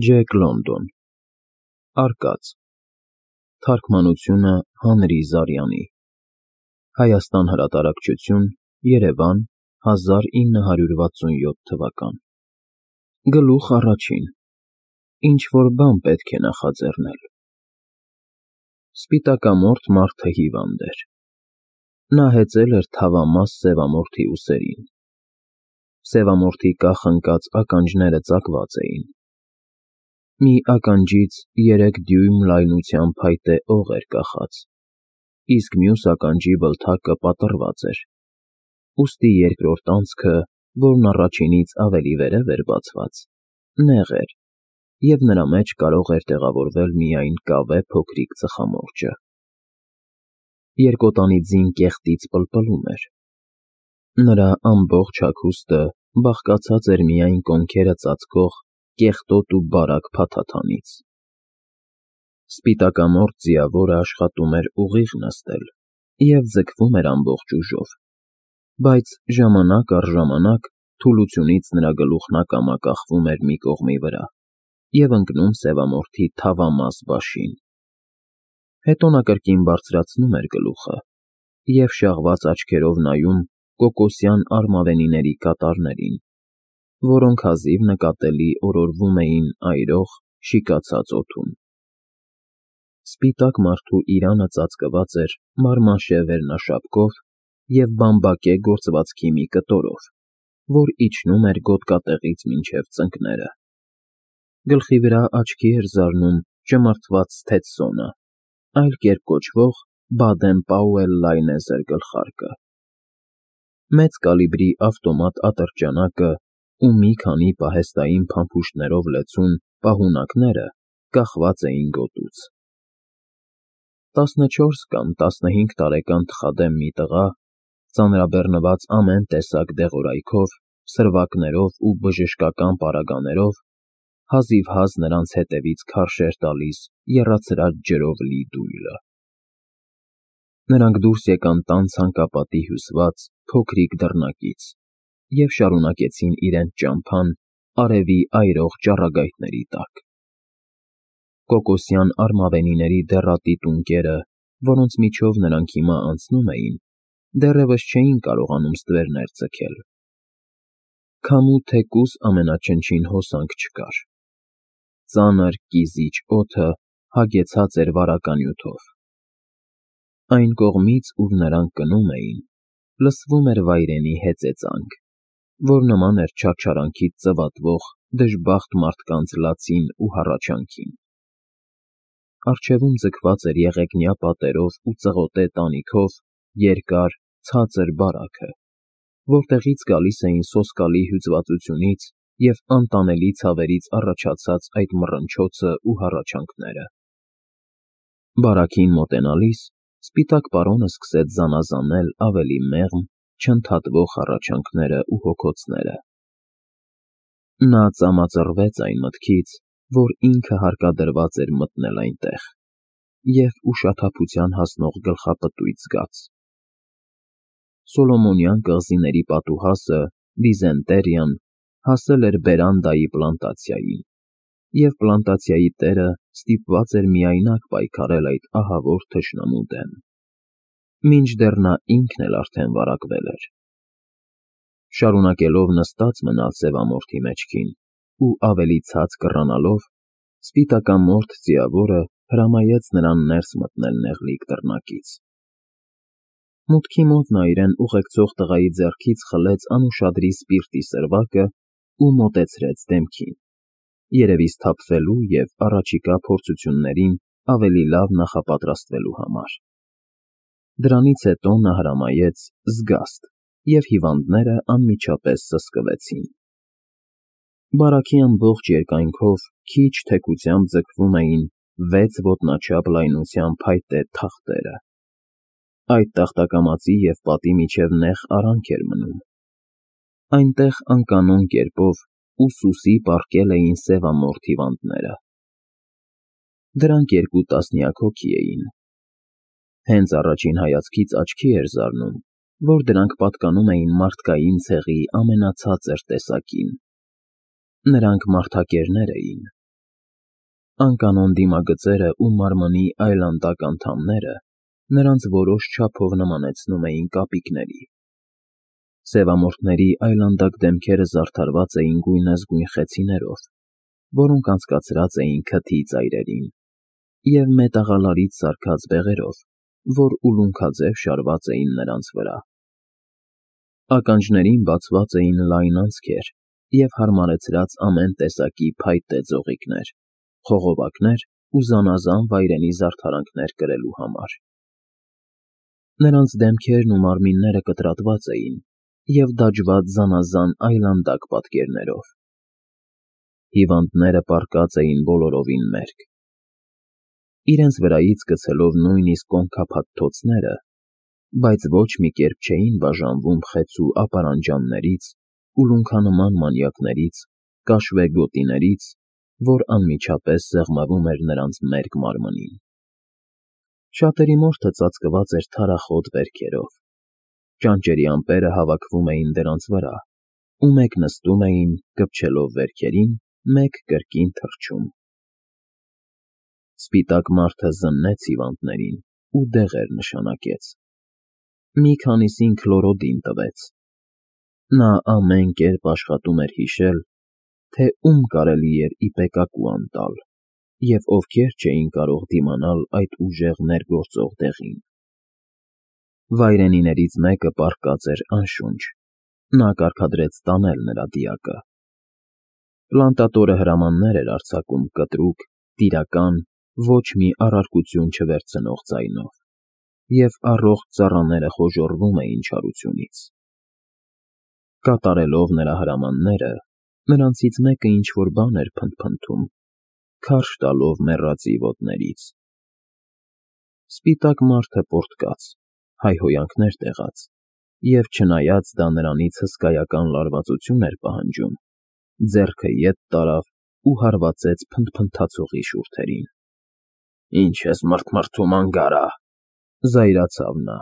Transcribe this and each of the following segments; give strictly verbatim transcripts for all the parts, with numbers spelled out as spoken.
Ջեք Լոնդոն Արկած Թարգմանությունը Հանրի Զարյանի Հայաստան հրատարակչություն Երևան հազար ինը հարյուր վաթսունյոթ թվական Գլուխ առաջին Ինչ-որ բան պետք է նախաձեռնել Սպիտակամորթ մարդը հիվանդ էր Նա հեծել էր թավամաս սևամորթի ուսերին Սևամորթի կախ ընկած ականջները ծակված էին Մի ականջից երեք դյույմ լայնության փայտե օղ էր կախած, իսկ մյուս ականջի բլթակը պատռված էր, ուստի երկրորդ անցքը, որն առաջինից ավելի վերև էր բացված, նեղ էր, և նրա մեջ կարող էր տեղավորվել միայն կավե փոքրիկ ծխամորճը։ Երկոտանի ձին կեղտից պլպլում էր։ Նրա ամբողջ հագուստը բաղկացած էր միայն կոնքերը ծածկող կեղտոտ ու բարակ փաթաթանից։ Սպիտակամորթ ձիավորը աշխատում էր ուղիղ նստել և ձգվում էր ամբողջ ուժով, բայց ժամանակ առ ժամանակ թուլությունից նրա գլուխն ակամա կախվում էր մի կողմի վրա և ընկնում սևամորթի թավամաս բաշին։ Հետո նա կրկին բարձրացնում էր գլուխը և շաղված աչքերով նայում կոկոսյան արմավենիների կատարներին, որոնք հազիվ նկատելի օրորվում էին այրող, շիկացած օդում։ Սպիտակ մարդու իրանը ծածկված էր մարմաշե վերնաշապկով և բամբակե գործվածքի մի կտորով, որ իջնում էր գոտկատեղից մինչև ծնկները։ Գլխի վրա աչքի էր զարնում ճմրթված սթեթսոնը, այլ կերպ կոչվող Բադեն֊Պաուել լայնեզր գլխարկը։ Մեծ կալիբրի ավտոմատ ատրճանակը ու մի քանի պահեստային փամփուշտներով լեցուն պահունակները կախված էին գոտուց։ Տասնչորս կամ տասնհինգ տարեկան թխադեմ մի տղա, ծանրաբեռնված ամեն տեսակ դեղորայքով, սրվակներով ու բժշկական պարագաներով, հազիվհազ նրանց հետևից քարշ էր տալիս եռացրած ջրով լի դույլը։ Նրանք դուրս եկան տան ցանկապատի հյուսված փոքրիկ դռնակից և շարունակեցին իրենց ճամփան արևի այրող ճառագայթների տակ։ Կոկոսյան արմավենիների դեռատի տունկերը, որոնց միջով նրանք հիմա անցնում էին, դեռևս չէին կարողանում ստվերներ ձգել։ Քամու թեկուզ ամենաչնչին հոսանք չկար։ Ծանր, կիզիչ օդը հագեցած էր վարականյութով։ Այն կողմից, ուր նրանք գնում էին, լսվում էր վայրենի հեծեծանք, որ նման էր չարչարանքից ծվատվող դժբախտ մարդկանց լացին ու հառաչանքին։ Առջևում ձգված էր եղեգնյա պատերով ու ծղոտե տանիքով երկար, ցածր բարաքը, որտեղից գալիս էին սոսկալի հյուծվածությունից և անտանելի ցավերից առաջացած այդ մռնչոցն ու հառաչանքները։ Բարաքին մոտենալիս սպիտակ պարոնը սկսեց զանազանել ավելի մեղմ, չընդհատվող հառաչանքներն ու հոգոցները։ Նա ծամածռվեց այն մտքից, որ ինքը հարկադրված էր մտնել այնտեղ, և ուշաթափության հասնող գլխապտույտ զգաց։ Սոլոմոնյան կղզիների պատուհասը՝ Դիզենտերիան, հասել էր բերանդայի պլանտացիային, և պլանտացիայի տերը ստիպված էր միայնակ պայքարել այդ ահավոր թշնամու դեմ, մինչդեռ նա ինքն էլ արդեն վարակվել էր։ Շարունակելով նստած մնալ սևամորթի մեջքին ու ավելի ցած կռանալով, սպիտակամորթ ձիավորը հրամայեց նրան ներս մտնել նեղլիկ դռնակից։ Մուտքի մոտ նա իրեն ուղեկցող տղայի ձեռքից խլեց անուշադրի սպիրտի սրվակն ու մոտեցրեց դեմքին, երևի սթափվելու և առաջիկա փորձություններին ավելի լավ նախապատրաստվելու համար։ Դրանից հետո նա հրամայեց «զգաստ» և հիվանդները անմիջապես սսկվեցին։ Բարաքի ամբողջ երկայնքով քիչ թեքությամբ ձգվում էին վեց ոտնաչափ լայնության փայտե թախտերը։ Այդ տախտակամածի և պատի միջև նեղ արանք էր մնում։ Այնտեղ անկանոն կերպով ուսուսի պառկել էին սևամորթ հիվանդները։ Դրանք երկու տասնյակ հոգի էին։ Հենց առաջին հայացքից աչքի էր զարնում, որ դրանք պատկանում էին մարդկային ցեղի ամենացածր տեսակին։ Նրանք մարդակերներ էին, Անկանոն դիմագծերը ու մարմնի այլանդակ անդամները նրանց որոշ չափով նմանեցնում էին կապիկների։ Սևամորթների այլանդակ դեմքերը զարդարված էին գույնզգույն խեցիներով, որոնք անցկացրած էին քթի ծայրերին, և մետաղալարից սարքած բեղերով, որ ուլունքաձև շարված էին նրանց վրա։ Ականջներին բացված էին լայն անցքեր և հարմարեցրած ամեն տեսակի փայտե ձողիկներ, խողովակներ ու զանազան վայրենի զարդարանքներ կրելու համար։ Նրանց դեմքերն ու մարմինները կտրատված էին և դաջված զանազան այլանդակ պատկերներով։ Հիվանդները պառկած էին բոլորովին մերկ։ Իրենց վրայից գցելով նույնիսկ կոնքափաթթոցները, բայց ոչ մի կերպ չէին բաժանվում խեցու ապարանջաններից, ուլունքանման մանյակներից, կաշվե գոտիներից, որ անմիջապես սեղմվում էր նրանց մերկ մարմնին։ Շատերի մորթը ծածկված էր թարախոտ վերքերով, ճանճերի ամպերը հավաքվում էին դրանց վրա, ու մեկ նստում էին, կպչելով վերքերին, մեկ կրկին թռչում։ Սպիտակ մարդը զննեց հիվանդներին ու դեղեր նշանակեց։ Մի քանիսին քլորոդին տվեց։ Նա ամեն կերպ աշխատում էր հիշել, թե ում կարելի էր ի պեկակու անտալ և ովքեր չէին կարող դիմանալ այդ ուժեղ ներգործող դեղին։ Վայրենիներից մեկը պառկած էր անշունչ, նա կարգադրեց տանել նրա դիակը։ Պլանտատորը հրամաններ էր արձակում կտրուկ, տիրական, ոչ մի առարկություն չվերցնող ձայնով, և առողջ ծառաները խոժոռվում էին չարությունից։ Կատարելով նրա հրամանները, նրանցից մեկը ինչ֊որ բան էր փնթփնթում, քարշ տալով մեռածի ոտներից։ Սպիտակ մարդը պոռթկաց, հայհոյանքներ տեղաց, և չնայած դա նրանից հսկայական լարվածություն էր պահանջում, ձեռքը ետ տարավ ու հարվածեց փնթփնթացողի շուրթերին։ ֊ Ի՞նչ ես մռթմռթում, անգարա,֊ զայրացավ նա։֊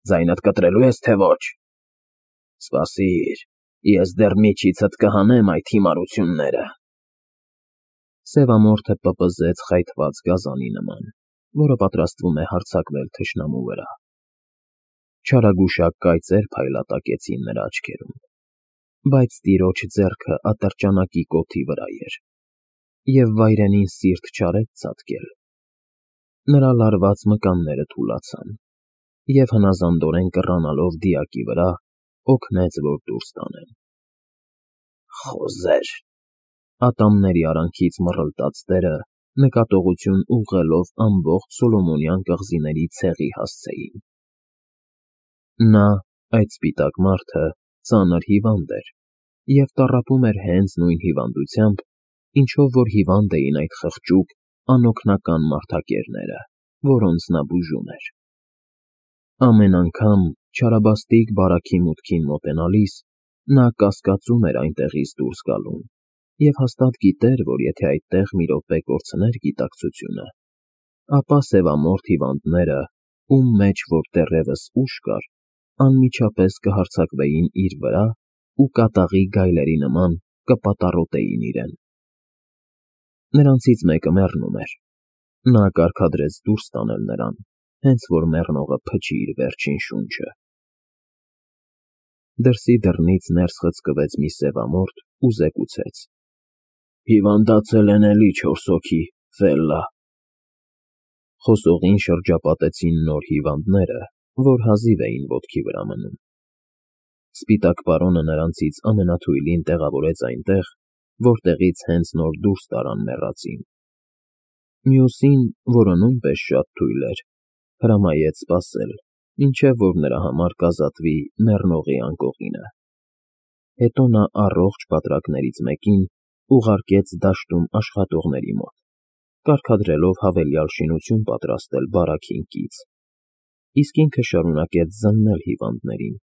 Ձայնդ կտրելո՞ւ ես, թե ոչ։ ֊ Սպասիր, ես դեռ միջիցդ կհանեմ այդ հիմարությունները… Սևամորթը պպզեց խայթված գազանի նման, որը պատրաստվում է հարձակվել թշնամու վրա։ Չարագուշակ կայծեր փայլատակեցին նրա աչքերում, բայց տիրոջ ձեռքը ատրճանակի կոթի վրա էր, և վայրենին սիրտ չարեց ցատկել։ Նրա լարված մկանները թուլացան, և հնազանդորեն կռանալով դիակի վրա, օգնեց, որ դուրս տանեն։ Խոզե՜ր…֊ ատամների արանքից մռլտաց տերը, նկատողություն ուղղելով ամբողջ Սոլոմոնյան կղզիների ցեղի հասցեին։ Նա, այդ սպիտակ մարդը, ծանր հիվանդ էր և տառապում էր հենց նույն հիվանդությամբ, ինչով որ հիվանդ էին այդ խղճուկ, անօգնական մարդակերները, որոնց նա բուժում էր։ Ամեն անգամ, չարաբաստիկ բարաքի մուտքին մոտենալիս, նա կասկածում էր այնտեղից դուրս գալուն և հաստատ գիտեր, որ եթե այդտեղ մի րոպե կորցներ գիտակցությունը, ապա սևամորթ հիվանդները, ում մեջ որ դեռևս ուժ կար, անմիջապես կհարձակվեին իր վրա ու կատաղի գայլերի նման կպատառոտեին իրեն։ Նրանցից մեկը մեռնում էր։ Նա կարգադրեց դուրս տանել նրան, հենց որ մեռնողը փչի իր վերջին շունչը։ Դրսի դռնից ներս խցկվեց մի սևամորթ ու զեկուցեց. «Հիվանդացել են էլի չորս հոգի, Ֆելլա»։ Խոսողին շրջապատեցին նոր հիվանդները, որ հազիվ էին ոտքի վրա մնում։ Սպիտակ պարոնը նրանցից ամենաթույլին տեղավորեց այնտեղ, որտեղից հենց նոր դուրս տարան մեռածին։ Մյուսին, որը նույնպես շատ թույլ էր, հրամայեց սպասել, մինչև որ նրա համար կազատվի մեռնողի անկողինը։ Հետո նա առողջ բատրակներից մեկին ուղարկեց դաշտում աշխատողների մոտ, կարգադրելով հավելյալ շինություն պատրաստել բարաքին կից, իսկ ինքը շարունակեց զննել հիվանդներին,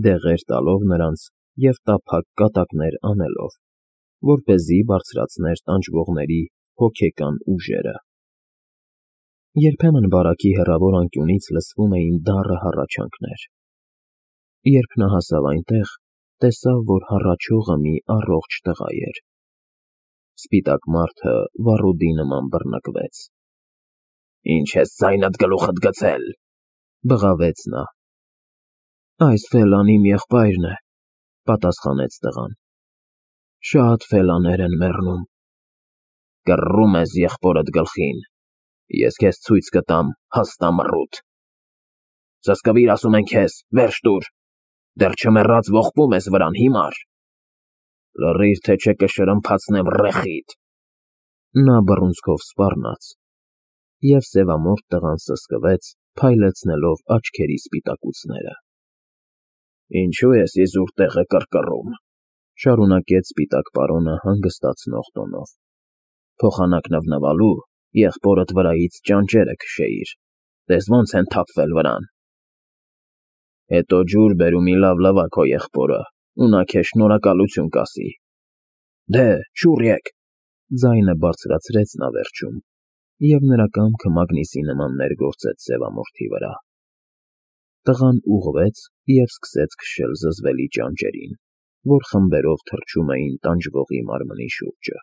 դեղեր տալով նրանց և տափակ կատակներ անելով, որպեսզի բարձրացներ տանջվողների հոգեկան ուժերը։ Երբեմն բարաքի հեռավոր անկյունից լսվում էին դառը հառաչանքներ։ Երբ նա հասավ այնտեղ, տեսավ, որ հառաչողը մի առողջ տղա էր։ Սպիտակ մարդը վառուդի նման բռնկվեց։ Ինչ ես ձայնդ գլուխդ գցել, բղավեց նա։ Այս Ֆելան իմ եղբայրն է, պատասխանեց տղան։ Շատ Ֆելաներ են մեռնում։ Կռռում ես եղբորդ գլխին, ես քեզ ցույց կտամ հաստամռութ։ Սսկվիր, ասում են քեզ, վերջ տուր, դեռ չմեռած ողբում ես վրան, հիմար։ Լռիր, թե չէ կշրմփացնեմ ռեխիդ։ Նա բռունցքով սպառնաց, և սևամորթ տղան սսկվեց, փայլեցնելով աչքերի սպիտակուցները։ Ինչո՞ւ ես իզուր տեղը կռկռում, շարունակեց սպիտակ պարոնը հանգստացնող տոնով։ Փոխանակ նվնվալու եղբորդ վրայից ճանճերը քշեիր, տես ոնց են թափվել վրան։ Հետո ջուր բեր ու մի լավ լվա քո եղբորը, ու նա քեզ շնորհակալություն կասի։ Դե, շուռ եկ, ձայնը բարձրացրեց նա վերջում, և նրա կամքը մագնիսի նման ներգործեց սևամորթի վրա։ Տղան ուղղվեց և սկսեց քշել զզվելի ճանճերին, որ խմբերով թռչում էին տանջվողի մարմնի շուրջը։